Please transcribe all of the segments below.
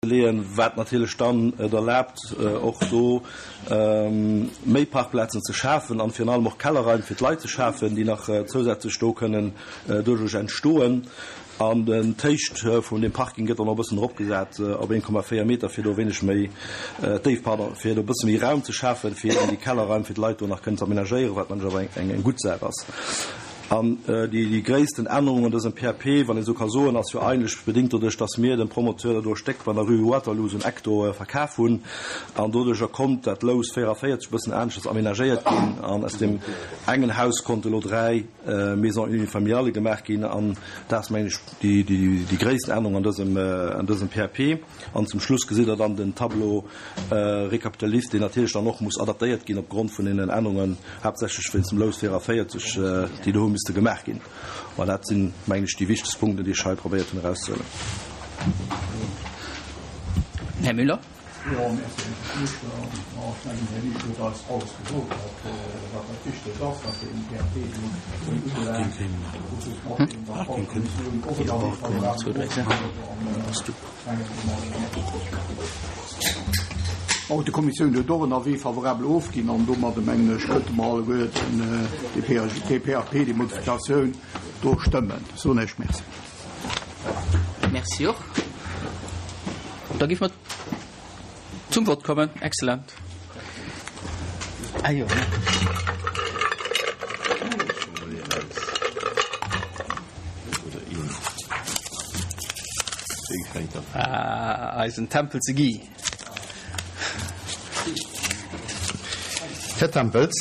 leeën, wat natierlech dann et erlaabt, och do méi Parkplazen ze schafen an virun allem och Kellerraim fir d'Leit ze schafen, déi nach zousätzlech do kënnen doduerch entstoen. An d'Héicht vun deem Parking gëtt dann och e bëssen eropgesat op 1,4 Meter, fir do e wéineg méi, d'Déift, pardon, fir do e bësse méi Raum ze schafen, fir eben déi Kellerraim fir d'Leit do nach kënnen ze amenagéieren, wat mengen ech awer eng gutt Saach ass. An déi gréissten Ännerung an dësem PAP, wann een esou ka soen, ass jo eigentlech bedéngt doduerch, dass mir dem Promoteur do e Stéck an der Rue Waterloo, esou en Eck do, verkaf hunn. An doduercher konnt dat Lous 44 e bëssen aneschters amenagéiert ginn. An aus deem engen Haus konnte elo 3 Maisons unifamiliales gemaach ginn. An dat ass, mengen ech, déi gréissten Ännerung an dësem, an dësem PAP. An zum Schluss gesitt Der dann den Tableau récapitulatif, deen natierlech dann och muss adaptéiert ginn opgrond vun deenen Ännerungen, haaptsächlech wéinst dem Lous 44, déi do hu misste gemaach ginn. Mä dat sinn, mengen ech, déi wichtegst Punkten, déi ech hei probéiert hunn erauszehuelen. Här Müller. Jo, merci, Här Buergermeeschter. Bon, ech mengen, Här Liesch huet eis alles gesot, wat, wat dat Wichtegt ass, wat deen PAP do ubelaangt. Mat deem der Baukommissioun och en Avis favorable ofginn huet. An ech mengen, Bon, d'Kommissioun huet och en Avis favorable ofginn an domadde, mengen ech, könnte mer alleguerten dee PAG, dee PAP, déi Modifikatioun do stëmmen. Soen ech Merci. Merci och. Da gi mer zum Vott kommen. Excellent. Ah jo. Ah, eisen Tempel ze Guy. Här Tempels?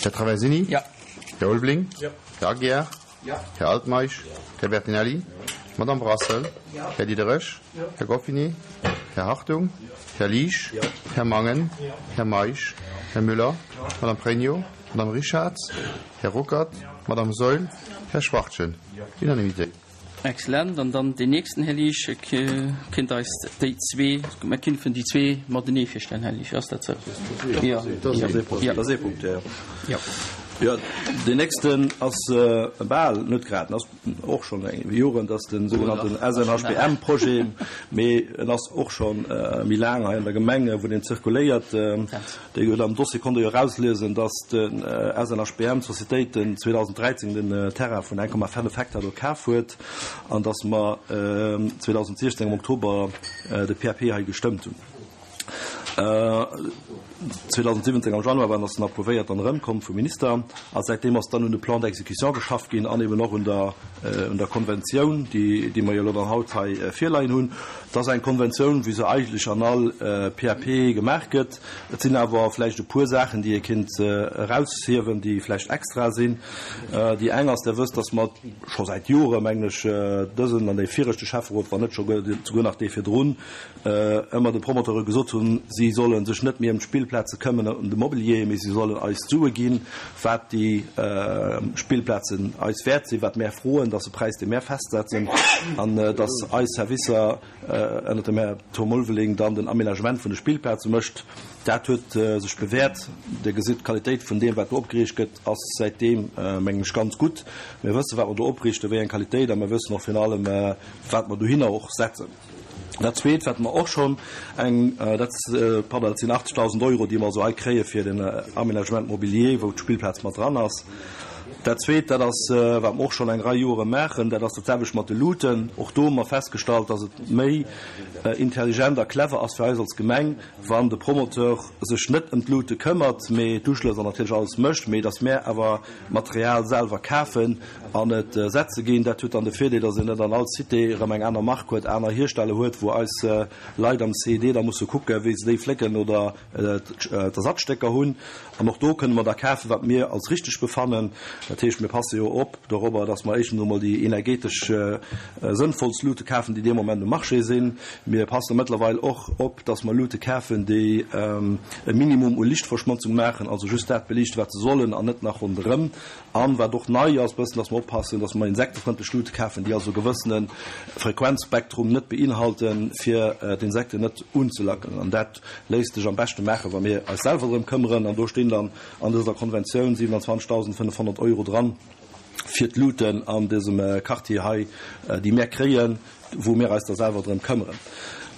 Här Traversini? Ja. Här Ulveling? Ja. Här Aguiar? Här Altmeisch? Här Bertinelli? Madame Brassel? Här Diderich? Här Goffini? Här Hartung? Här Liesch? Här Mangen? Här Meisch? Här Müller? Madame Pregno? Madame Richarz? Här Ruckert? Madame Saeul? Här Schwachtgen? Unanimité. Excellent. An dann deen nächsten, Här Liesch, kéint eis déi zwee, mer kinnfen déi zwee matenee virstellen, Här Liesch, ass dat sou? Jo. Dat ass ee Punkt, jo. Jo. Jo, deen nächsten ass bal, net grad, en ass och schonn eng Joren, dat ass de sougenannten SNHBM-Projet, mee en ass och scho méi laang hei an der Gemeng, wou deen zirkuléiert. Dir hutt am Dossier konnt Der jo erausliesen, dass de SNHBM, d'Societéit, den 2013 den Terrain vun 1,5 Hektar do kaf huet an dass mer 2016 am Oktober de PAP hei gestëmmt hunn. 2017 am Januar war ass en approuvéiert an erëmkomm vum Minister a säitdeem ass dann un de Plan d'exécution geschafft ginn an eben och un der un der Konventioun, déi déi mer jo elo dann haut hei virleien hunn. Et ass eng Konventioun, wéi se eigentlech an all PAP gemaach gëtt. Et sinn awer vläicht e puer Saachen, déi ee kéint eraushiewen, déi vläicht extra sinn. Déi eng ass, Der wësst, dass mer scho säit Jore mengen ech, dësen an dee viregte Schäfferot, wann net scho souguer nach dee virdrun, ëmmer de Promoteure gesot hunn, si solle sech net méi ëm d'Spillplaze këmmen, ëm de Mobilier, mee si sollen eis d'Sue ginn, wat déi Spillplazen eis wäert sinn, wat mär froen, dat ass e Präis, dee mär festsetzen, an dass eis Servicer ënnert dem Här Tom Ulveling dann den Aménagement vun de Spillplaze mécht. Dat huet sech bewäert. Dir gesitt, d'Qualitéit vun deem, wat do opgeriicht gëtt, ass säitdeem, mengen ech, ganz gutt. Mir wëssen, wat mer do opriichten, wéi eng Qualitéit, a mir wëssen och virun allem, wat mer dohinner och setzen. Dat Zweet, wat mer och schonn eng, dat, pardon, dat sinn 80.000 Euro, déi mer also hei kréie fir den Aménagement mobilier, wou d'Spillplaz mat dran ass. Dat Zweet, dat ass, wat mer och schonn eng Rei Jore maachen, dat ass dat selwecht mat de Luuten. Och do hu mer festgestallt, dass et méi intelligent a clever ass fir eis als Gemeng, wann de Promoteur sech net ëm d'Luute këmmert, mee d'Uschlëss an natierlech alles mécht, mee dass mär awer d'Material selwer kafen an et setze ginn. Dat huet dann de Virdeel, dass een net an all Cité erëm eng aner Mark huet, aner Hiersteller huet, wou eis Leit am CED da musse kucken, wéi se déi flécken oder d'Ersatzstécker hunn. An och do kënne mer da kafen, wat mir als richteg befannen. Dat heescht, mir passe jo op dorobber, dass mer éischtens emol déi energetesch sënnvollst Luute kafen, déi dee Moment um Marché sinn. Mir passe mëttlerweil och op, dass mer Luute kafen, déi e Minimum u Lichtverschmotzung maachen, also just dat beliichten, wat se sollen, an net nach ronderëm. An wat och nei ass, bëssen, dass mer oppassen, dass mer insektefrëndlech Luute kafen, déi also e gewëssene Frequenzspektrum net beinhalten, fir d'Insekten net unzelackelen. An dat léisst sech am beschte maachen, wa mir eis selwer drëm këmmeren. An do stinn dann an dëser Konventioun 27.500 Euro dran fir d'Luuten an dësem Quartier hei, déi mär kréien. wou mir eis da selwer drëm këmmeren.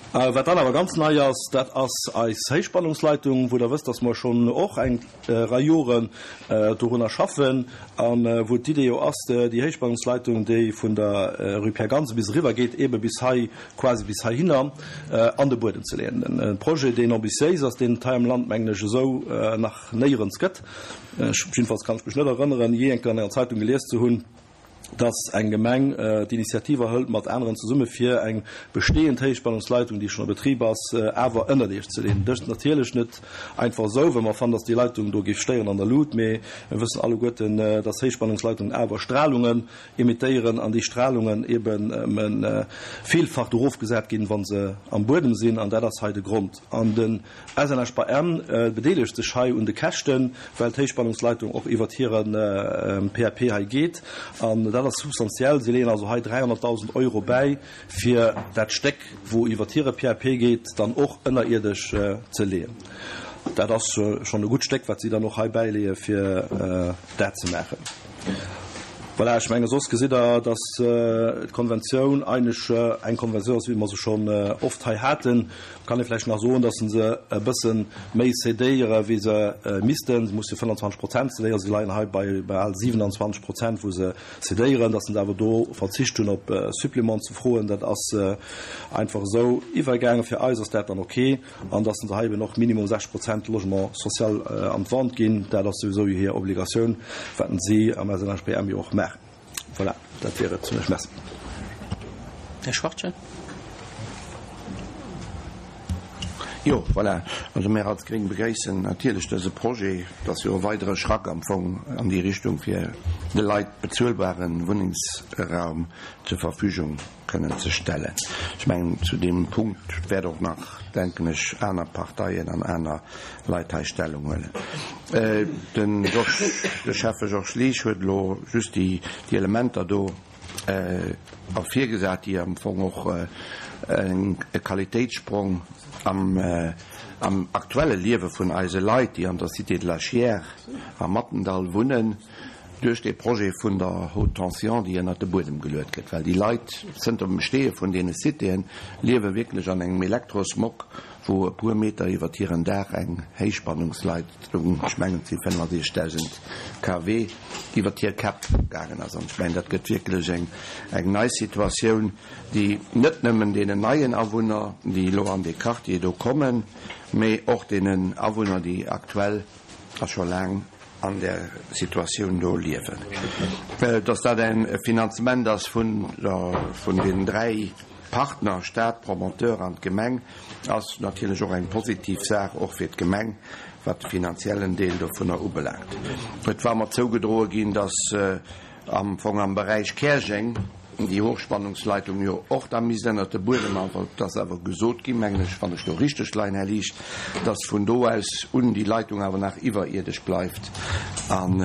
Wat dann awer ganz nei ass, dat ass eis Héichspannungsleitung, wou Der wësst, dass mer schonn och eng Rei Joren dorunner schaffen a wou d'Idee jo ass, déi Héichspannungsleitung, déi vun der Rue Pierre Gansen bis eriwwer geet, eebe bis hei, quasi bis heihinner an de Buedem ze leeën. E Projet, deen ambitiéis ass, deen et hei am Land, mengen ech, esou nach néierens gëtt. Ech, jiddefalls kann ech mech net erënneren, jee eng Kéier an enger Zeitung gelies ze hunn, dass eng Gemeng d'Initiative erhëlt mat aneren zesumme fir eng bestehend Héichspannungsleitung, déi schonn a Betrib ass, awer ënnerdeeg ze leeën. Dëst natierlech net einfach esou, well mer fannen, dass déi Leitung do géif stéieren an der Luut, mee mir wëssen alleguerten, dass Héichspannungsleitungen awer Stralungen emittéieren an déi Stralungen eben villfach erofgesat ginn, wa se am Buedem sinn, an dat ass hei de Grond. An den SNHBM bedeelegt sech hei un de Käschten, well d'Héichspannungsleitung och iwwert hire PAP hei geet. An dat ass substantiell. Si leeën also hei 300.000 Euro bäi, fir dat Stéck, wou iwwert hire PAP geet, dann och ënnerierdesch ze leeën. Dat ass schonn e gutt Stéck, wat si dann och hei bäileeë fir dat ze maachen. Voilà, ech menge soss gesitt Der, dass d'Konventioun eigentlech eng Konventioun ass, wéi mer se schonn oft hei haten. Kann ee vläicht nach soen, dass se e bësse méi cédéiere wéi se missten. Se musse 25 Prozent cédéieren, se leien hei bei bal 27 Prozent wou se cédéieren. Dass se awer do verzicht hunn op Supplément ze froen, dat ass einfach esou iwwergaangen. Fir eis ass dat dann ok. An dass se hei eben och minimum 60 Prozent Logement social an d'Vente ginn, dat ass souwisou hir Obligatioun, wat si am SNHBM jo och maachen. Voilà, dat wier et. Merci. Här Schwachtgen. Jo, voilà. Also mär als Gréng begréissen natierlech dëse Projet. Et ass jo e weidere Schrack am Fong an déi Richtung, fir de Leit bezuelbare Wunnengsraum zur Verfügung kënnen ze stellen. Ech mengen, zu deem Punkt wäert och nach, denken ech, aner Parteien an aner Leit hei Stellung huelen. De Georges, de Schäffe Georges Liesch huet elo just déi Elementer do ervirgesat, déi am Fong och e Qualitéitssprong am aktuelle Liewe vun eise Leit, déi an der Cité de la Chiers am Mathendahl wunnen, duerch dee Projet vun der Haute Tension, déi ënnert de Buedem geluet gëtt, well déi Leit zënter dem Besteeë vun deene Citéen liewe wierklech an engem Elektrosmog, wou e puer Meter iwwert hiren Daach eng Héichspannungsleitung, ech mengen et si 65.000 kW, iwwert hir Käpp gaangen ass. An ech mengen, dat gëtt wierklech eng eng nei Situatioun, déi net nëmmen deenen neien Awunner, déi elo an dee Quartier do kommen, mee och deenen Awunner, déi aktuell a scho laang an där Situatioun do liewen. Dass dat e Finanzement ass vun vun den dräi Partner, Stat, Promoteur an d'Gemeng, ass natierlech och eng positiv Saach, och fir d'Gemeng, wat de finanziellen Deel dovunner ubelaangt. Et war mer zougedroe ginn, dass Am Fong am Beräich Käerjeng, déi Hochspannungsleitung jo och da misst ënnert de Buedem, awer et ass awer gesot ginn, mengen ech, wann ech do richteg leien, Här Liesch, dass vun do aus un déi Leitung awer nach iwwerierdesch bleift an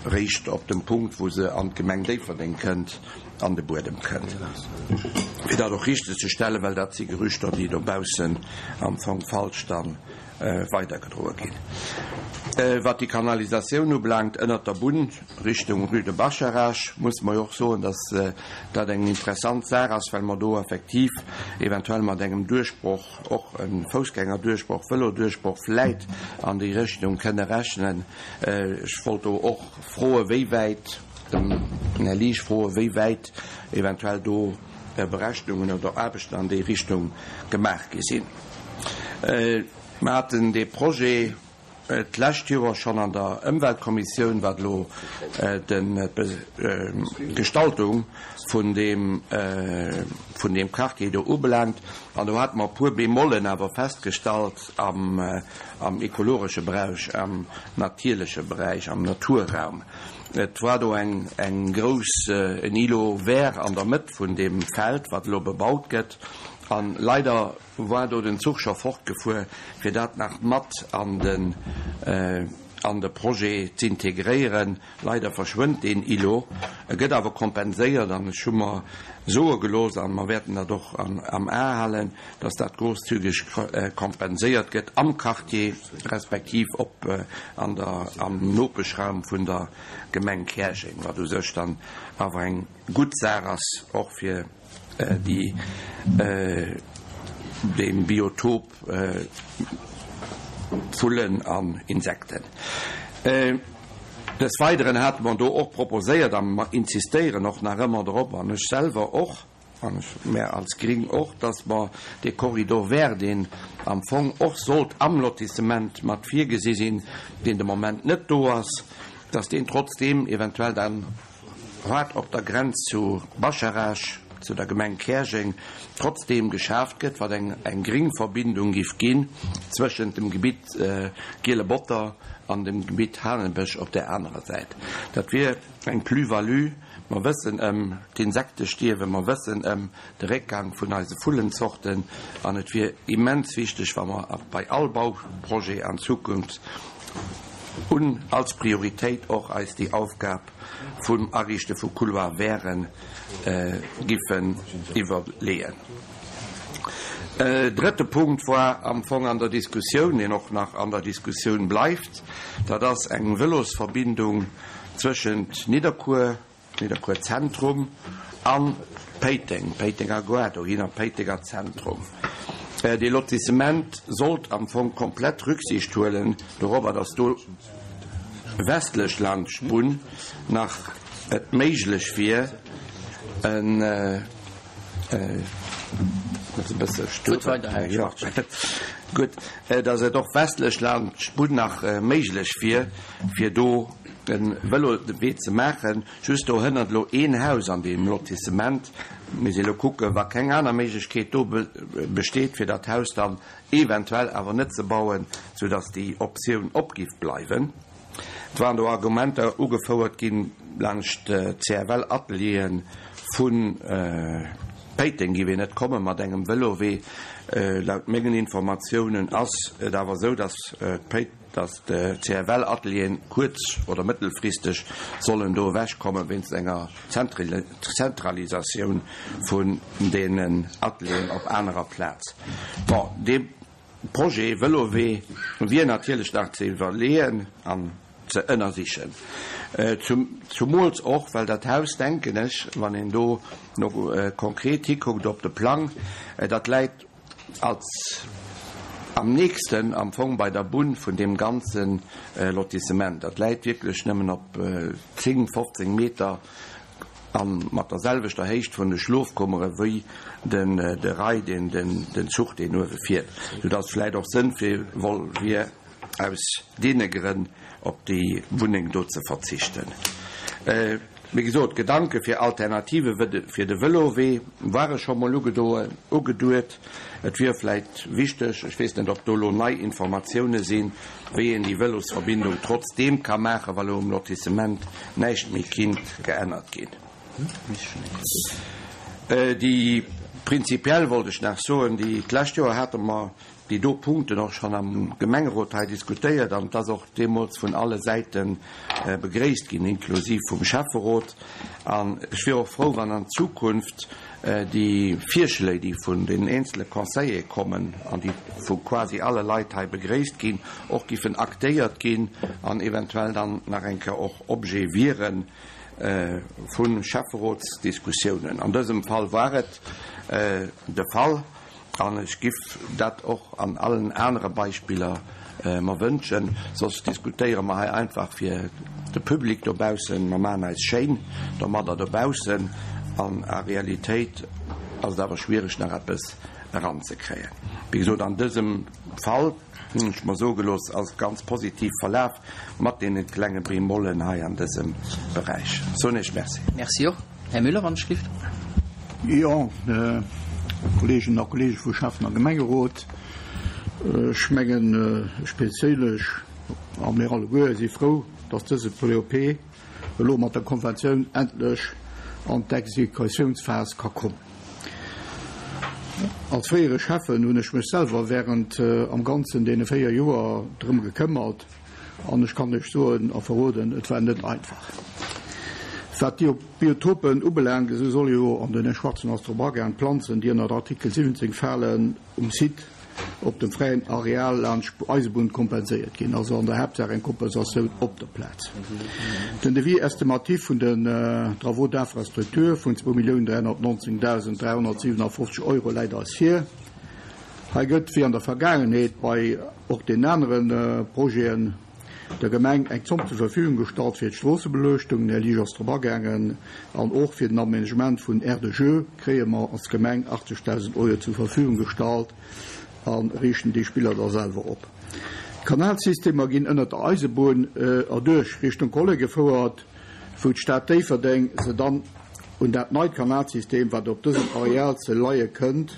eréischt op dem Punkt, wou se an d'Gemeng Déifferdeng kënnt, an de Buedem kënnt. Fir dat och richtegzestellen, well dat si Gerüchter, déi dobaussen am Fong falsch dann weidergedroe ginn. Wat déi Kanalisatioun ubelaangt ënnert der Bunn Richtung Rue de Bascharage, musse mer jo och soen, dass dat eng interessant Saach ass, well mer do effektiv eventuell mat engem Duerchbroch, och e Foussgängerduerchbroch, Vëloduerchbroch vläit an déi Richtung kënne rechnen. Ech wollt do och froe wéi wäit, dem Här Liesch froe wéi wäit eventuell do Berechnungen oder Aarbechten an déi Richtung gemaach gi sinn. Mer haten dee Projet d'lescht Joer schonn an der Ëmweltkommissioun, wat elo d'Gestaltung vun deem, vun deem Quartier do ubelaangt. An do hate mer e puer Bémollen awer festgestallt am, am ekologesche Beräich, am natierleche Beräich, am Naturraum. Et war do eng, eng grouss, en Îlot vert an der Mëtt vun deem Feld, wat elo bebaut gëtt. A leider war do den Zuch scho fortgefuer, fir dat nach mat an den an de Projet z'integréieren. Leider verschwënnt deen Îlot. E gëtt awer kompenséiert an ech hu mer soe gelooss, a mer wäerten dat och am A halen, dass dat grosszügeg kompenséiert gëtt am Quartier respektiv op an der am Nopeschraum vun der Gemeng Käerjeng, wat u sech dann awer eng gutt Saach ass, och fir. déi deem Biotop Vullen an Insekten. Des Weideren hate mer do och proposéiert, a mer insistéieren och nach ëmmer drop, an ech selwer och, an ech, mär als Gring och, dass mer dee Corridor vert, deen am Fong och sollt am Lotissement mat virgesi sinn, deen de Moment net do ass, dass deen trotzdeem eventuell dann haart op der Grenz zu Bascharage, zu der Gemeng Käerjeng, trotzdeem geschaaft gëtt, wat eng eng gring Verbindung giff ginn zwëschent dem Gebitt Giele Botter an dem Gebitt Hanebësch op där anerer Säit. Dat wier eng Plus-value. Mer wëssen ëm d'Insektestierwen, mer wëssen ëm de Réckgang vun eise Vullenzorten an et wier immens wichteg, wa mer bei all Bauprojet an Zukunft un als Prioritéit och eis déi Aufgab vum Ariichte vu Couloir verten giffen iwwerleeën. Drëtte Punkt war am Fong an der Diskussioun, deen och nach an der Diskussioun bleift, dat ass eng Vëlosverbindung zwëschent Nidderkuer, Nidderkuer Zentrum an Péiteng, Péitenger Gare dohinner, Péitenger Zentrum. Dee Lotissement sollt am Fong komplett Rücksicht huelen dorobber, dass do westlech laanscht d'Bunn nach et méiglech wier, en, ass e bësse stuer, jo, gutt, dass et och westlech laanscht d'Bunn nach méiglech wier, fir do e Vëlowee ze maachen. Just do hënnert elo een Haus an deem Lotissement. Mir si elo kucken, wa keng aner Méiglechkeet do besteet, fir dat Haus dann eventuell awer net ze bauen, soudass déi Optioun op giff bleiwen. Et waren do Argumenter ugefouert ginn, laanscht d'CFL-Ateliere vu Péiteng giff een net komme mat engem Vëlowee. Laut mengen Informatiounen ass et awer esou, dass dass d'CFL-Atelieren kuerz oder mëttelfristeg sollen do ewechkomme wéinst enger Zentralisatioun vun deenen Atelieren op anerer Plaz. Bon, dee Projet Vëlowee wier natierlech nach ze iwwerleeën an ze ënnersichen, zumools och well dat Haus, denken ech, wann een do no konkret hikuckt op de Plang, dat läit als am nächsten am Fong bei der Bunn vun deem ganze Lotissement. Dat läit wierklech nëmmen op 10, 15 Meter a mat der selwechter Héicht vun de Schlofkummere wéi den de Rail, deen den Zuch deen uewe fiert, soudass vläicht och sënnvoll wier, aus deene Grënn op déi Wunneng do ze verzichten. Wéi gesot, d'Gedanke fir Alternative fir de Vëlowee ware scho mol ugeduet. Et wier vläit wichteg, ech weess net, ob do elo nei Informatioune sinn, wéi een déi Vëlosverbindung trotzdeem ka maachen, wa lo um Lotissement näischt méi kinnt geännert ginn. Déi prinzipiell wollt ech nach soen, déi d'lescht Joer hate mer déi do Punkten och schonn am Gemengerot hei diskutéiert an et ass och deemools vun alle Säite begréisst ginn, inklusiv vum Schäfferot. An ech wier och frou, wann an Zukunft déi Virschléi, déi vun den eenzele Conseillere kommen an déi vu quasi alle Leit hei begréisst ginn, och giffen aktéiert ginn an eventuell dann nach eng Kéier och Objet wiere vu Schäfferotsdiskussiounen. An dësem Fall war et de Fall. An ech giff dat och an allen anere Beispiller mer wënschen. Soss diskutéiere mer hei einfach fir de Public dobaussen. Mer maachen eis schéin domadder dobaussen an a Realitéit ass et awer schwiereg nach eppes eranzekréien. Wéi gesot, an dësem Fall, hunn ech mer soe gelooss, ass et ganz positiv verlaf mat deene klenge Bémollen hei an dësem Beräich. Soen Iech Merci. Merci och. Här Müller, wann ech gelift. Jo, Kolleeginnen a Kolleege vu Schäffen a Gemengerot, ech mengen, ech perséinlech a mir alleguer si frou, dass dëse POP elo mat der Konventioun endlech an d'Exekutiounsphas ka kommen. Als fréiere Schäffen hunn ech mech selwer während am Ganzen deene 4 Joer drëm gekëmmert an ech kann lech soen a verroden, et war net einfach. Wat déi Biotopen ubelaangt, esou solle jo, an den Här Schwarzen ass drop agaang, d'Planzen, déi ënnert Artikel 17 falen, um Site. op dem fräien Areal laanscht Eisebunn kompenséiert ginn. Also an der Haaptsaach eng Kompensatioun op der Plaz. Den Devis estimatif vun den Travaux d'infrastructure vun 2.319.357 Euro läit eis vir. Hei gëtt, wéi an der Vergaangenheet bei och den anere Projeten, der Gemeng eng Zomm zur Verfügung gestallt fir d'Stroossebeleuchtung, den Här Liesch ass drop agaangen, an och fir den Aménagement vun Aires de jeux kréie mer als Gemeng 80.000 Euro zur Verfügung gestallt a riichten déi Spiller da selwer op. D'Kanalsystemer ginn ënnert der Eisebunn erduerch Richtung Kolle gefouert, wou d'Stad Déifferdeng se dann un dat neit Kanalsystem, wat op dësem Areal ze leie kënnt,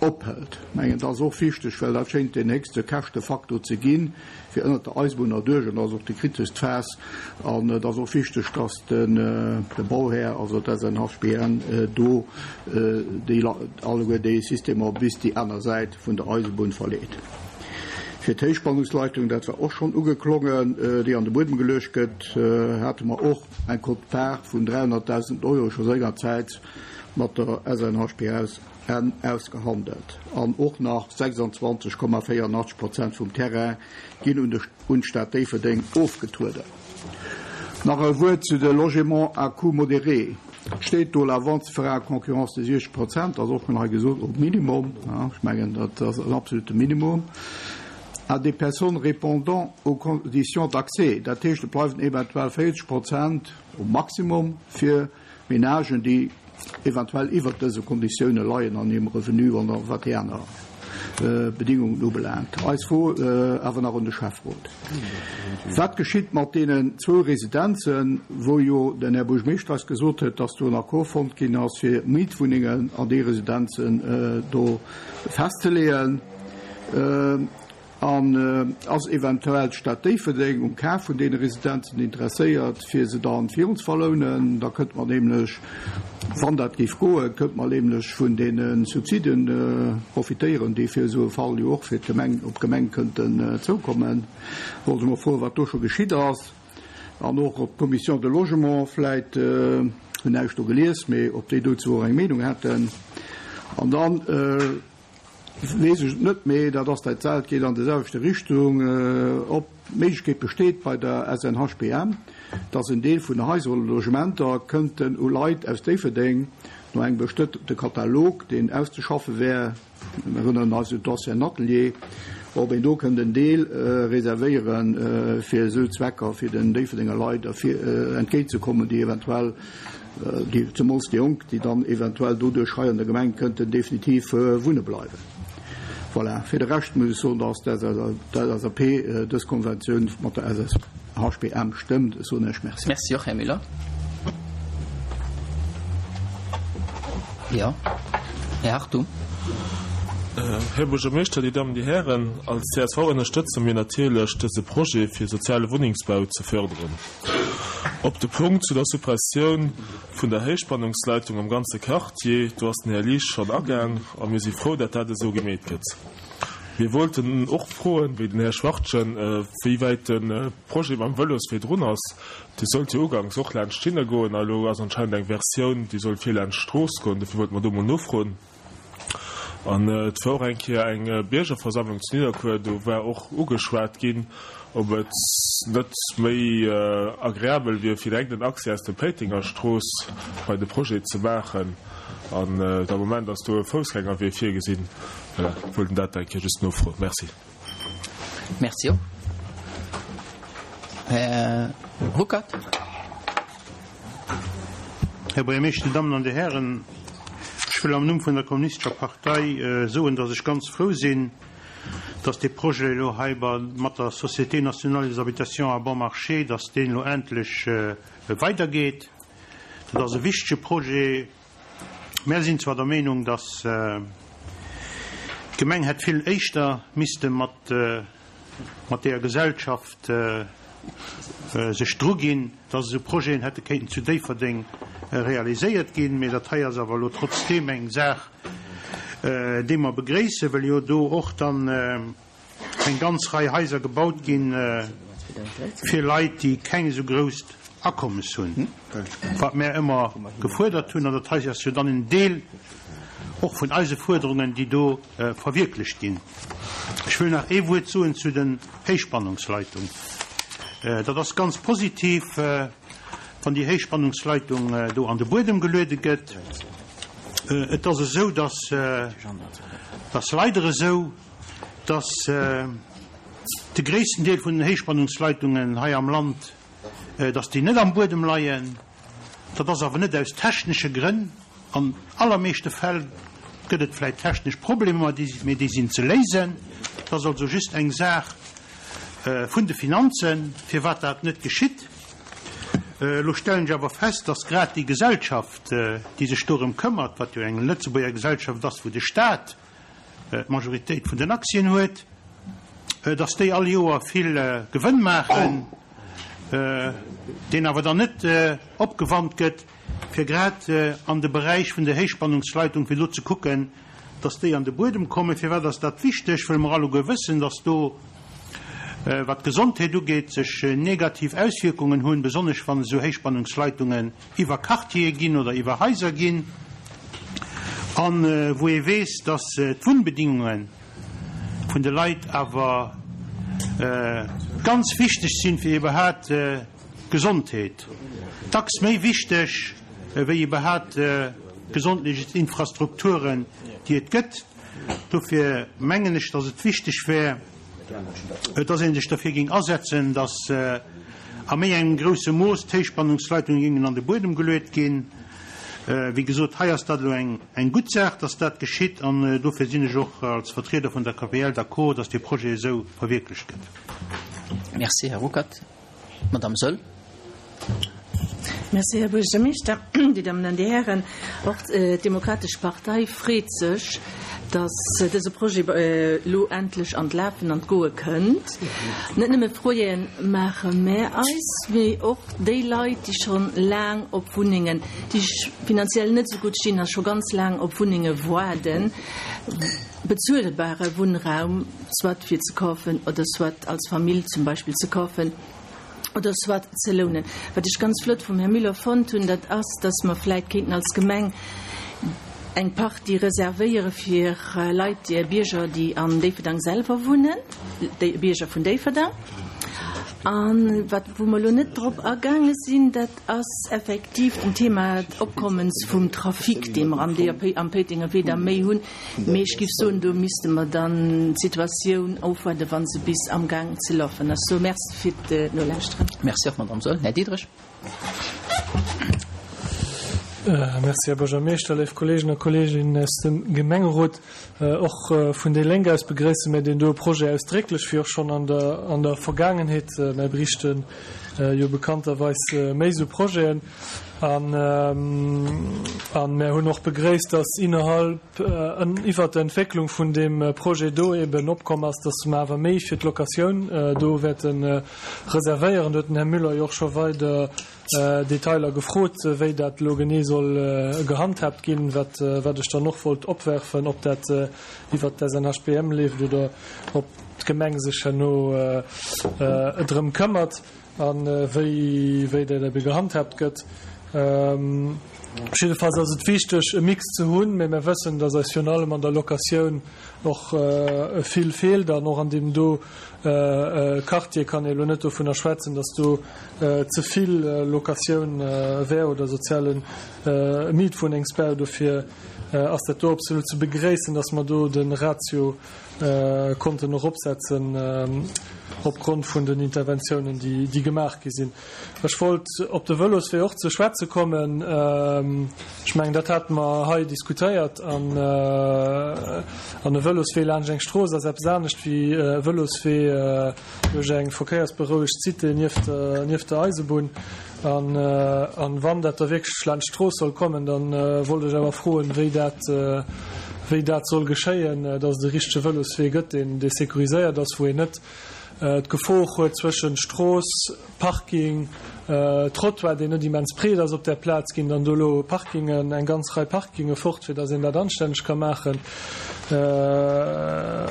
Ophält. Mengen, dat ass och wichteg, well dat schéngt deen héchste Käschtefaktor ze ginn, fir ënnert der Eisebunn erduerch, an dat ass och déi kriteschst Phas. An et ass och wichteg, dass de Bauhär, also d'SNHBN, do déi alleguer déi Systemer bis déi aner Säit vun der Eisebunn verleet. Fir d'Héichspannungsleitung, dat war och schonn ugeklongen, déi an de Buedem geluecht gëtt, hate mer och eng Quote-part vun 300.000 Euro scho sengerzäits mat der SNHBS Enn ausgehandelt an och nach 26,84 Prozent vum Terrain ginn un de un d'Stad Déifferdeng ofgetrueden. Nach e Wuert zu de Logements à coût modéré. Et steet do, la vente se fera à concurrence de 60 Prozent, ass och schonn hei gesot, au minimum, ech mengen dat ass en absolute Minimum, à des personnes répondant aux conditions d'accès. Dat heescht, et bleiwen eventuell 40 Prozent au maximum fir Menagen, déi eventuell iwwert dëse Konditioune leien an hirem Revenu an a wat déi aner Bedingungen ubelaangt. Eis Fro awer nach un de Schäfferot, Wat geschitt mat deenen zwou Residenzen, wou jo den Här Buergermeeschter eis gesot huet, dass do en Accord fonnt ginn ass, fir Mietwunnengen an déi Residenzen do festzeleeën? An ass eventuell d'Stad Déifferdeng um Kaf vun deene Residenzen interesséiert, fir se dann virun ze verlounen? Da kënnte mer nämlech, wann dat géif goen, kënnte mer nämlech vun deene Subsiden profitéieren, déi fir esou e Fall jo och fir d'Gemeng, op d'Gemeng kënnten zoukommen. Wollt ech mol froen, wat do scho geschitt ass an och ob d'Commission de Logement vläit, hunn näischt do gelies, mee ob déi dozou och eng Meenung hätten. An dann. Weess ech et net, mee dat ass dat selwecht, geet an déi selwechte Richtung, ob d'Méiglechkeet besteet bei der SNHBM, dass en Deel vun de Haiser oder Logementer kënnten u Leit aus Déifferdeng no engem bestëmmte Katalog, deen auszeschaffe wär, mir erënneren eis un d'ancien Atelier, ob een do kënnt en Deel reservéiere fir esou Zwecker, fir den Déifferdenger Leit entgéintzekommen, déi eventuell déi, zemools déi Jonk, déi dann eventuell doduerch hei an der Gemeng kënnten definitiv wunne bleiwen. Voilà, fir de Rescht muss ech soen, dass d'LSAP dës Konventioun mat der SSHBM stëmmt. Ech soen Iech Merci. Merci och, Här Müller. Jo, Här Hartung. Här Buergermeeschter, Dir Dammen, Dir Hären, als csv ënnerstëtze mir natierlech dëse Projet fir soziale Wunnengsbau ze förderen. Op de Punkt zu der Suppressioun vun der Héichspannungsleitung am ganze Quartier, do ass den Här Liesch schonn agaang a mir si frou, dat dat esou gemeet gëtt. Mir wollten och froen, wéi den Här Schwachtgen, wéi wäit de Projet mam Vëloswee drun ass. Dee sollt jo uganks och laanscht d'Schinne goen a elo ass anscheinend eng Versioun, déi soll vir laanscht d'Strooss goen. Dofir wollte mer do mol nofroen. An et war och eng Kéier eng Biergerversammlung zu Nidderkuer, do war och ugeschwat ginn, ob et net méi agreabel wier, fir direkt en Accès aus der Péitengerstrooss bei de Projet ze maachen. An am Moment ass do e Foussgängerwee virgesinn. Voilà, wollt dat eng Kéier just nofroen. Merci. Merci och. Här Ruckert. Här Buergermeeschter, Dir Dammen an Dir Hären, ech wëll am Numm vun der Kommunistescher Partei soen, dass ech ganz frou sinn, dass dee Projet elo hei mat der Société nationale des habitations à bon marché, dass deen elo endlech weidergeet. Dat ass e wichtege Projet. Mär sinn zwar der Meenung, dass d'Gemeng hätt vill éischter misste mat mat deeër Gesellschaft sech druginn, dass esou Projeten hätte kéinten zu Déifferdeng realiséiert ginn. Mee dat hei ass awer elo trotzdeem eng Saach, déi mer begréissen, well jo do och dann eng ganz Rei Haiser gebaut ginn fir Leit, déi keng esou grousst Akommes hunn, wat mär ëmmer gefuerdert hunn. An dat hei ass jo dann en Deel. och vun eise Fuerderungen, déi do verwierklecht ginn. Ech wëll nach ee Wuert soen zu den Héichspannungsleitung. Dat ass ganz positiv, wann déi Héichspannungsleitung do an de Buedem geluede gëtt. Et ass esou, dass, et ass leider esou, dass de gréissten Deel vun den Héichspannungsleitungen hei am Land, dass déi net am Buedem leien. Dat ass awer net aus technesche Grënn. An allermeeschte Fäll gëtt et vläicht technesch Problemer, mee déi sinn ze léisen. Et ass also just eng Saach vun de Finanzen, firwat dat net geschitt. Elo stellen ech awer fest, dass grad déi Gesellschaft, déi sech dorëm këmmert, wat jo eng Lëtzebuerger Gesellschaft ass, wou de Stat d'Majoritéit vun den Aktien huet, dass déi all Joer vill Gewënn maachen, deen awer dann net opgewannt gëtt, fir grad an de Beräich vun der Héichspannungsleitung, fir do ze kucken, dass déi an de Buedem kommen. Firwat ass dat wichteg? Wëll mer alleguer wëssen, dass do, wat d'Gesondheet ugeet, sech negativ Auswierkungen hunn, besonnesch wann esou Héichspannungsleitungen iwwer Quartiere ginn oder iwwer Haiser ginn, a wou ee weess, dass d'Wunnbedingunge vun de Leit awer ganz wichteg sinn, fir iwwerhaapt Gesondheet, dacks méi wichteg wéi iwwerhaapt d'gesondheetlech Infrastrukturen, déi et gëtt. Dofir mengen ech, datt et wichteg wär, datt ee sech derfir géing asetzen, datt a méi engem grousse Mooss d'Héichspannungsleitungen géingen an de Buedem geluet ginn. Wéi gesot, hei ass dat elo eng gutt Saach, datt dat geschitt, an dofir sinn ech och als Vertrieder vun der KPL d'accord, datt dee Projet esou verwierklecht gëtt. Merci, Här Ruckert. Madame Soll. Merci, Här Buergermeeschter, Dir Dammen an Dir Hären. Och d'Demokratesch Partei freet sech, dass dëse Projet elo endlech an d'Lafen an d'Goe kënnt. Net nëmme Froeë maache mär eis, mee och déi Leit, déi scho laang op Wunnengen, déi finanziell net esou gutt stinn a scho ganz laang op Wunnenge waarden, bezuelbare Wunnraum, soit fir ze kafen oder soit als Famill zum Beispill ze kafen oder soit ze lounen. Wat ech ganz flott vum Här Müller fonnt hunn, dat ass, dass mer vläit kéinten als Gemeng eng Partie reservéiere fir Leit, Bierger, déi an Déifferdang selwer wunnen, déi Bierger vun Déifferdang. A wat, wou mer elo net drop agaange sinn, dat ass effektiv den Thema d'Opkommens vum Trafic, dee mer am DAP am Péitenger Wee da méi hunn. Mee ech géif soen, do misste mer dann d'Situatioun ofwaarden, wa se bis amgaang ze lafen ass. Sou, Merci fir d'Nolauschteren. Merci och, Madamm Saeul. Här Diderich. Merci, Här Buergermeeschter, léif Kolleegen a Kolleeginnen aus dem Gemengerot. Och vun déi Lénk aus begréisse mir deen doe Projet ausdrécklech, wéi och schonn an der an der Vergaangenheet. Mär beriichte jo bekannterweis méi esou Projeten. An mär hunn och begréisst, dass innerhalb, iwwert der Entwécklung vun deem Projet do eben opkomm ass, dass mer awer méi fir d'Locatioun do wäerte reservéieren. Do huet den Här Müller jo och scho weider Detailer gefrot, wéi dat elo genee soll gehandhaabt ginn, wat ech dann och wollt opwerfen, ob dat iwwert d'SNHBM leeft oder ob d'Gemeng sech herno drëm këmmert. A wéi wéi dat ebe gehandhaabt gëtt. Jiddefalls ass et wichteg, e Mix ze hunn, mä mir wëssen, datt eis virun allem an der Locatioun och vill feelt. An och an deem do Quartier kann ee elo net dovunner schwätzen, datt do ze vill Locatioun wär oder soziale Mietwunnengsbau. Dofir ass dat do absolut ze begréissen, datt mer do de Ratio konnten eropsetzen opgrond vun den Interventiounen, déi gemaach gi sinn. Ech wollt op de Vëloswee och ze schwätze kommen. Ech mengen, dat hate mer hei diskutéiert. An e Vëloswee laanscht eng Strooss ass eppes anescht wéi e Vëloswee duerch eng verkéiersberouegt Cité nieft der Eisebunn. An wann dat da wierklech laanscht d'Strooss soll kommen, da wollt ech awer froen, wéi dat, wéi dat soll geschéien, dass et e richtege Vëloswee gëtt, deen, dee sécuriséiert ass, wou een net d'Gefor huet zwëschen Strooss, Parking, Trottoir, deen net immens breet ass op där Plaz, ginn dann do elo Parkingen, eng ganz Rei Parkinge fort, fir dass een dat anstänneg ka maachen.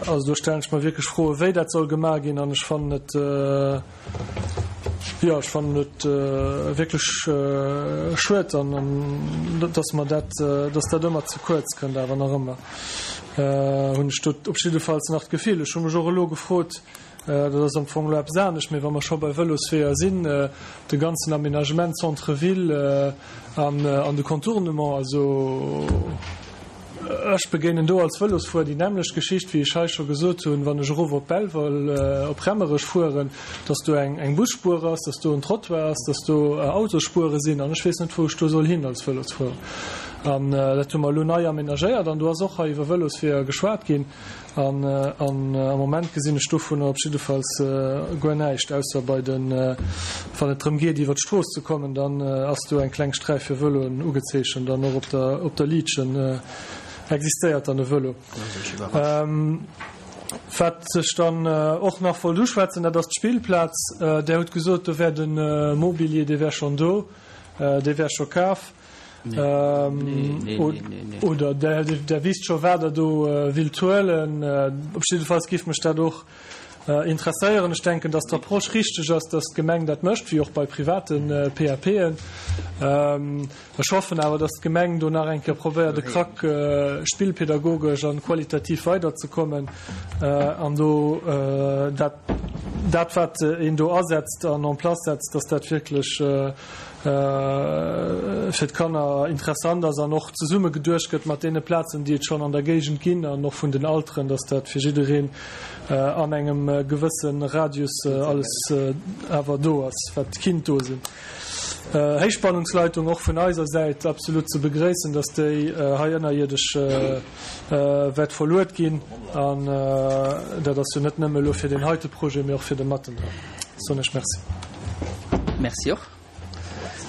Also do stellen ech mer wierklech Froen, wéi dat soll gemaach ginn an ech fannen et. Jo, ech fannen et wierklech schued, an dass mer dat, dass dat ëmmer ze kuerz kënnt, awer nach ëmmer hunn ech do op jiddefalls nach d'Gefill. Ech hu mech och elo gefrot, dat ass am Fong elo eppes anescht, mee wa mer scho bei Vëlosweeër sinn, de ganzen Aménagement Centre-ville an de Contournement, also ech begéinen do als Vëlosfuerer déi nämmlecht Geschicht, wéi ech hei scho gesot hunn, wann ech erof op Belval, op Remmerech fueren, dass do eng Busspuer ass, dass do en Trottoir ass, dass do Autosspuere sinn an ech weess net, wou ech do soll hin als Vëlosfuerer. An dat hu mer elo nei aménagéiert an do ass och hei iwwer Vëlosweeër geschwat ginn. An am Moment gesinn ech dovunner op jiddefalls guer näischt, ausser bei den, wann et drëm geet, iwwer d'Strooss ze kommen, dann ass do eng kleng Sträif fir Vëloen ugezeechent an och op der, op der Liitchen existéiert dann e Vëlo. Wat ech dann och nach wollt uschwätzen, dat ass d'Spillplaz. Där hutt gesot, do wär de Mobilier, dee wär schonn do, dee wär scho kaf. Oder Der wisst scho wat Der do willt huelen. Op jiddefalls géif mech dat och interesséieren. Ech denken, datt d'Approche richteg ass, datt d'Gemeng dat mécht, wéi och bei private PAPen. Ech hoffen awer, datt d'Gemeng do nach eng Kéier probéiert, e Krack spillpedagogesch a qualitativ weiderzekommen an do dat, dat wat een do asetzt an en place setzt, datt dat wierklech fir d'Kanner interessant ass an och zesumme geduecht gëtt mat deene Plazen, déi et schonn an der Géigend ginn an och vun den Alteren, dass dat fir jiddereen an engem gewësse Radius alles awer do ass, wat kinnt do sinn. Héichspannungsleitung och vun eiser Säit absolut ze begréissen, dass déi hei ënnerierdesch wäert verluet ginn. An dat ass jo net nëmme elo fir deen heite Projet, mee och fir de Mattendahl. Soen ech Merci. Merci och.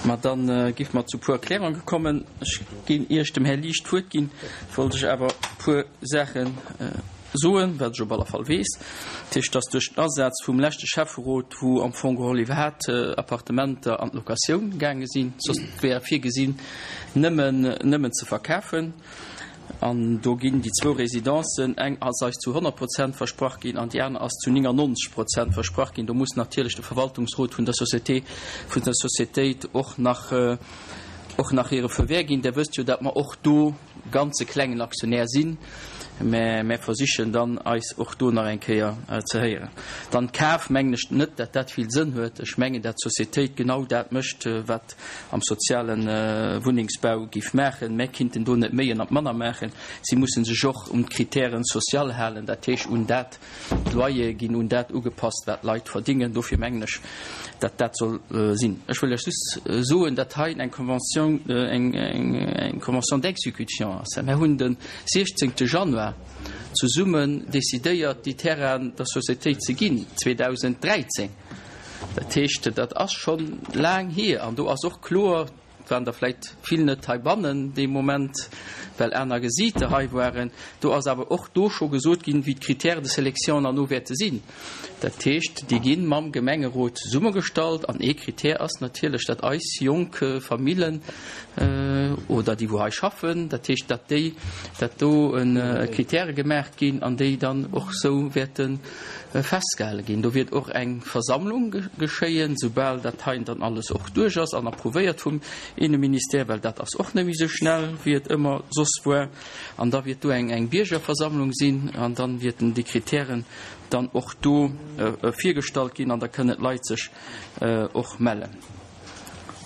Ma dann géife mer zu puer Erklärunge kommen. Ech ginn, ier ech dem Här Liesch d'Wuert ginn, wollt ech awer e puer Saache soen, wat ech op alle Fall weess. Dat heescht, dass duerch den Asaz vum leschte Schäfferot, wou am Fong geholl iwwerhaapt Appartementer an d'Locatioun gaange sinn, soss wär virgesinn, nëmmen, nëmmen ze verkafen, An do ginn déi zwou Residencen, eng ass eis zu 100 Prozent versprach ginn an déi aner ass zu 99 Prozent versprach ginn. Do muss natierlech de Verwaltungsrot vun der Société, vun der Sociétéit och nach, och nach hire Feu vert ginn. Der wësst jo, datt mer och do ganz e klengen Aktionär sinn, mä mer versichen dann eis och do nach eng Kéier ze héieren. Dann Kaf, mengen ech net, datt dat vill Sënn huet. Ech mengen, datt d'Sociétéit genau dat mécht, wat am soziale Wunnengsbau géif maachen. Mä kinnten do net méi an manner maachen. Si musse sech och un d'Critèren sociales halen, dat heescht un dat, d'Loyere ginn un dat ugepasst, wat d'Leit verdingen. Dofir mengen ech, datt dat soll sinn. Ech wëll lech just soen, datt hei eng Convention, eng Convention d'exécution ass. Mer hunn de 16. Januar zesummen decidéiert, déi Terrainen der Sociétéit ze ginn, 2013. Dat heescht, dat ass scho laang hier an do ass och kloer, et waren der vläicht vill net heibannen dee Moment, well aner Gesiiter hei waren, do ass awer och do scho gesot ginn, wéi d'Critères de sélection herno wäerte sinn. Dat heescht, déi gi mam Gemengerot zesummegestallt an ee Critère ass natierlech, datt eis jonk Famillen oder déi wou hei schaffen, dat heescht, datt déi, datt do Critèrë gemaach ginn an déi dann och esou wäerte Festgehale ginn. Do wiert och eng Versammlung geschéien, soubal dat heien dann alles och duerch ass an approuvéiert vum Inneministère, well dat ass och net méi esou schnell, wéi et ëmmer soss war. An da wiert do eng eng Biergerversammlung sinn an dann wierten déi Kritären dann och do virgestallt ginn an da kënnen d'Leit sech och mellen.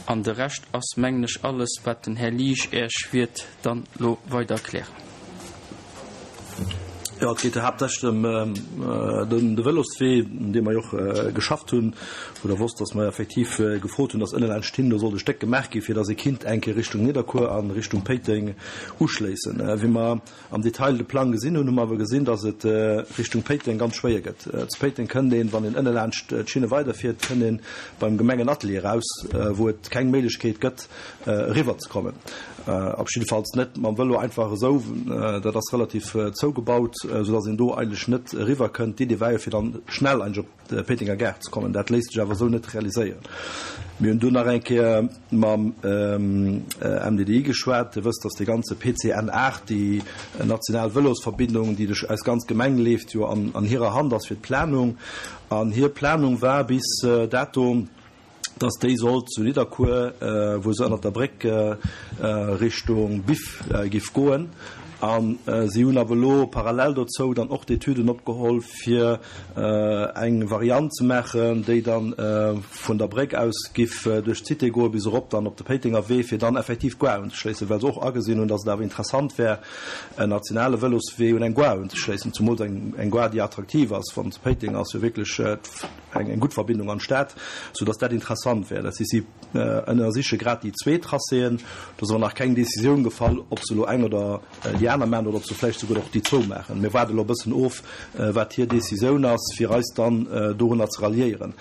An de Rescht ass, mengen ech, alles, wat den Här Liesch Äech wiert dann lo weider erklären. Jo, et geet haaptsächlech ëm de Vëloswee, un deem mer jo och geschafft hunn, wou Der wosst, dass mer effektiv gefrot hunn, dass ënne laanscht hin do sollt e Stéck gemaach ginn, fir dass ee kinnt eng Kéier Richtung Nidderkuer a Richtung Péiteng uschléissen. Wéi mer am Detail de Plang gesinn hunn, hu mer awer gesinn, dass et Richtung Péiteng ganz schwéier gëtt. Zu Péiteng kënnt een, wann een ënne laanscht d'Schinne weiderfiert, kënnt ee beim Gemengenatelier eraus, wou et keng Méiglechkeet gëtt, eriwwer ze kommen. Op jiddefalls net mam Vëlo einfach esou. Dat ass relativ zougebaut, soudass een do eigentlech net eriwwer kënnt. D'Idee war jo, fir dann schnell eigentlech op d'Péitenger Gare ze kommen. Dat léisst sech awer esou net realiséieren. Mir hunn dunn nach eng Kéier mam MDDI geschwat. Dir wësst, dass dee ganze PCN 8, déi national Vëlosverbindung, déi duerch eis ganz Gemeng leeft, jo an hirer Hand ass fir d'Planung. An hir Planung war bis dato. Dass déi sollt zu Nidderkuer, wou se ënnert der Bréck Richtung Biff giff goen. A si hunn awer elo parallel dozou dann och d'Etüden opgeholl, fir eng Variant ze maachen, déi dann vun der Bréck aus giff duerch d'Cité goe bis erop dann op de Péitenger Wee, fir dann effektiv d'Gare unzeschléissen, well se och agesinn hunn, dass et awer interessant wär, en nationale Vëloswee un eng Gare unzeschléissen, zumools eng Gare, déi attraktiv ass. Wann se Péiteng ass jo wierklech eng gutt Verbindung an d'Stad, sou dass dat interessant wär. Dat heescht, si ënnersiche grad déi zwee Tracéen. Do ass awer nach keng Décisioun gefall, ob se elo eng oder déi aner maachen oder ob se vläicht souguer och déi zwou maachen. Mir waarde elo e bëssen of, wat hir Décisioun ass, fir eis dann dorunner ze ralliéieren.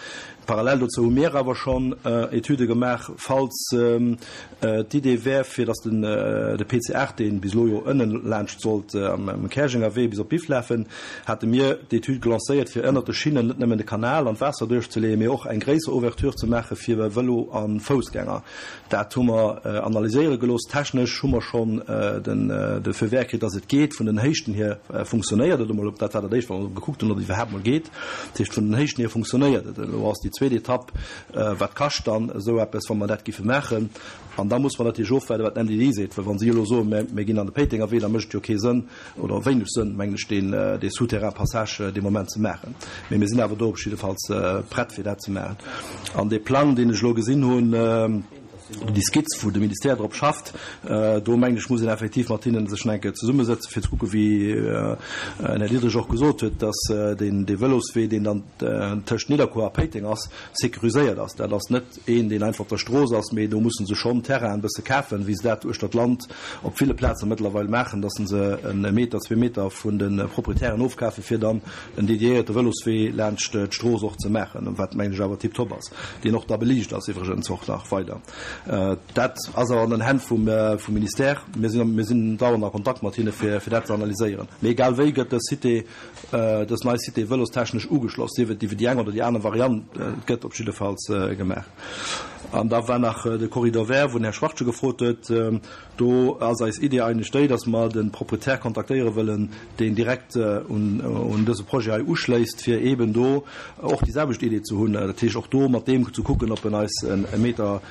Parallel dozou hu mir awer schonn Etüde gemaach, falls d'Idee wär, fir datt den de PC 8, dee bis elo jo ënnen laanscht sollt am Käerjenger Wee bis op Biff lafen, hate mir d'Etüd gelancéiert, fir ënnert de Schinnen net nëmmen de Kanal an d'Waasser duerchzeleeën, mee och eng gréisser Ouverture ze maache fir Vëlo a Foussgänger. Dat hu mer analyséiere gelooss. Technesch hu mer schonn de Feu vert kritt, datt et geet. Vun den Héichten hier funktionéiert et emol. Dat war dat Éischt, wat mer gekuckt hunn, ob et iwwerhaapt emol geet. Dat heescht, vun den Héichten hier funktionéiert et. Elo ass déi zweet Etapp, Wat kascht dann esou eppes, wa mer dat giffe maachen? An da muss mer natierlech ofwaarden, wat d'MDD seet. Well wa si elo soen, mir, mir ginn an de Péitenger Wee, da mécht et jo kee Sënn oder wéineg Sënn, mengen ech, deen, dee Souterrain-Passage dee Moment ze maachen. Mee mir sinn awer do op jiddefalls prett, fir dat ze maachen. An dee Plang, deen ech elo gesinn hunn, déi Skizz, wou de Ministère drop schafft, do mengen ech, muss een effektiv mat hinnen sech nach eng Kéier zesummesëtzen, fir ze kucken, wéi den Här Diderich och gesot huet, dass deen, dee Vëloswee, deen dann tëscht Nidderkuer a Péiteng ass, sécuriséiert ass. Dat ass net een, deen einfach op der Strooss ass, mee do musse se schonn Terrainen e bësse kafen, wéi se dat uechter d'Land op ville Plaze mëttlerweil maachen, dass se e Meter, zwee Meter vun de Proprietären ofkafen, fir dann en dediéierte Vëloswee laanscht d'Strooss och ze maachen, wat, mengen ech, awer tiptop ass, deen och da beliicht ass iwwregens och nach weider. Dat ass awer an den Hänn vum Ministère. Mir sinn, mir sinn dauernd a Kontakt mat hinne fir dat ze analyséieren. Mee egal wéi gëtt dës Cité, dës nei Cité vëlostechnesch ugeschloss, sief et iwwer déi eng oder déi aner Variant, et gëtt op jiddefalls gemaach. An da war nach de Corridor vert, wou den Här Schwachtgen gefrot huet. Do ass eis Idee eigentlech déi, dass mer de Proprietär kontaktéiere wëllen, deen direkt un dëse Projet hei uschléisst, fir eeben do och déi selwecht Idee ze hunn. Dat heescht, och do mat deem ze kucken, ob en eis e Meter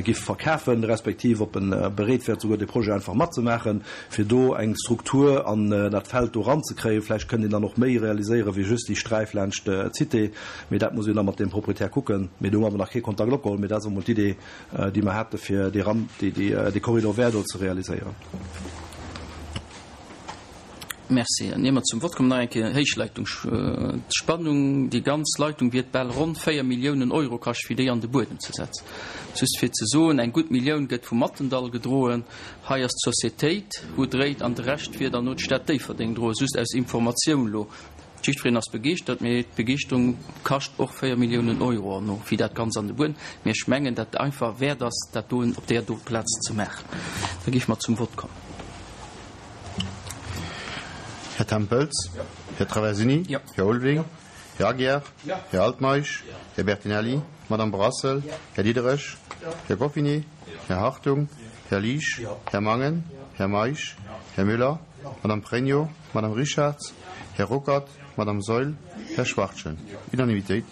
giff verkafen, respektiv ob en bereet wär, souguer dee Projet einfach matzemaachen, fir do eng Struktur an dat Feld do eranzekréien. Vläicht kënnt een dann och méi realiséieren, wéi just déi Sträif laanscht d'Cité. Mee dat muss een da mat deem Proprietär kucken. Mee do hu mer awer nach kee Kontakt opgeholl. Mee dat ass emol d'Idee, déi mer hate fir dee Ram, dee Corridor vert do ze realiséieren. Merci. An ier mer zum Vott kommen, nach eng Kéier Héichleitung. D'Spannung, déi ganz Leitung wiert bal ronn 4 Milliounen Euro kascht, fir déi an de Buedem ze setzen. Just fir ze soen, eng gutt Millioun gëtt vum Mattendall gedroen. Hei ass d'Societéit, wou dréit, an de Rescht wier dann no d'Stad Déifferdeng droen. Just aus Informatioun elo. Jiddwereen ass begeeschtert, mee d'Begeeschterung kascht och 4 Milliounen Euro an no wéi dat Ganzt an de Buedem. Mee ech mengen, dat einfach wäert ass, dat doen op där do Plaz ze maachen. Da géife mer zum Vott kommen. Här Tempels? Här Traversini? Här Ulveling? Här Aguiar? Här Altmeisch? Här Bertinelli? Madame Brassel? Här Diderich? Här Goffinet? Här Hartung? Här Liesch? Här Mangen? Här Meisch? Här Müller? Madame Pregno? Madame Richarz, Här Ruckert, Madame Saeul, Här Schwachtgen. Unanimitéit.